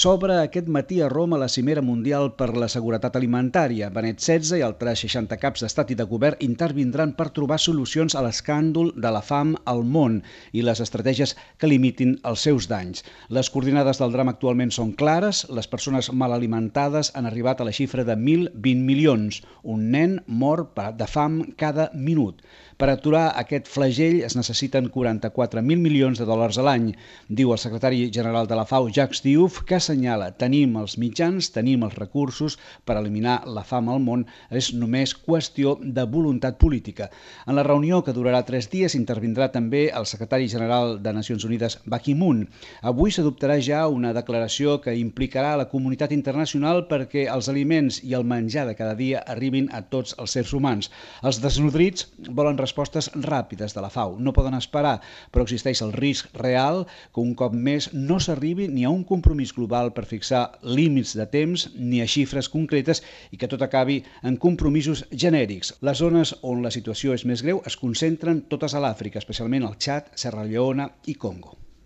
S'obre aquest matí a Roma la Cimera Mundial per la Seguretat Alimentària. Benet XVI i altres 60 caps d'estat i de govern intervindran per trobar solucions a l'escàndol de la fam al món i les estratègies que limitin els seus danys. Les coordinades del drama actualment són clares. Les persones mal alimentades han arribat a la xifra de 1.020 milions. Un nen mor de fam cada minut. Per aturar aquest flagell es necessiten 44.000 milions de dòlars a l'any. Diu el secretari general de la FAO, Jacques Diouf, que assenyala: tenim els mitjans, tenim els recursos per eliminar la fam al món, és només qüestió de voluntat política. En la reunió, que durarà 3 dies, intervindrà també el secretari general de Nacions Unides, Ban Ki-moon. Avui s'adoptarà ja una declaració que implicarà la comunitat internacional perquè els aliments i el menjar de cada dia arribin a tots els éssers humans. Els desnodrits volen respostes ràpides de la FAO. No poden esperar, però existeix el risc real que un cop més no s'arribi ni a un compromís global per fixar límits de temps ni a xifres concretes i que tot acabi en compromisos genèrics. Les zones on la situació és més greu es concentren totes a l'Àfrica, especialment al Txad, Serra Leona i Congo.